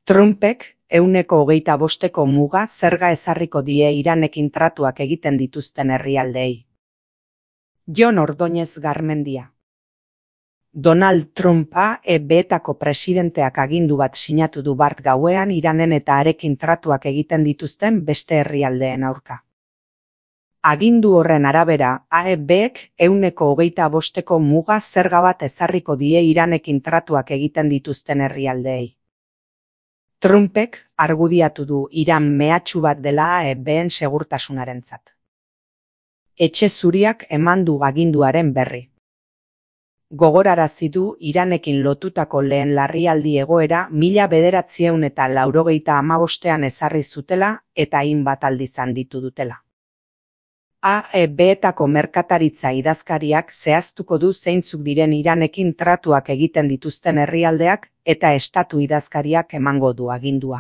Trumpek 125% muga zerga ezarriko die Iranekin tratuak egiten dituzten herrialdeei. Jon Ordóñez Garmendia. Donald Trumpa EB-etako presidenteak agindu bat sinatu du bart gauean Iranen eta harekin tratuak egiten dituzten beste herrialdeen aurka. Agindu horren arabera, AEB-ek 125% muga zerga bat ezarriko die Iranekin tratuak egiten dituzten herrialdeei. Trumpek argudiatu du Iran mehatxu bat dela AEB-en segurtasunarentzat. Etxe Zuriak eman du aginduaren berri. Gogorarazi du Iranekin lotutako lehen larrialdi egoera 1985ean ezarri zutela eta hainbat aldiz handitu dutela. AEB-etako merkataritza idazkariak zehaztuko du zeintzuk diren Iranekin tratuak egiten dituzten herrialdeak eta estatu idazkariak emango du agindua.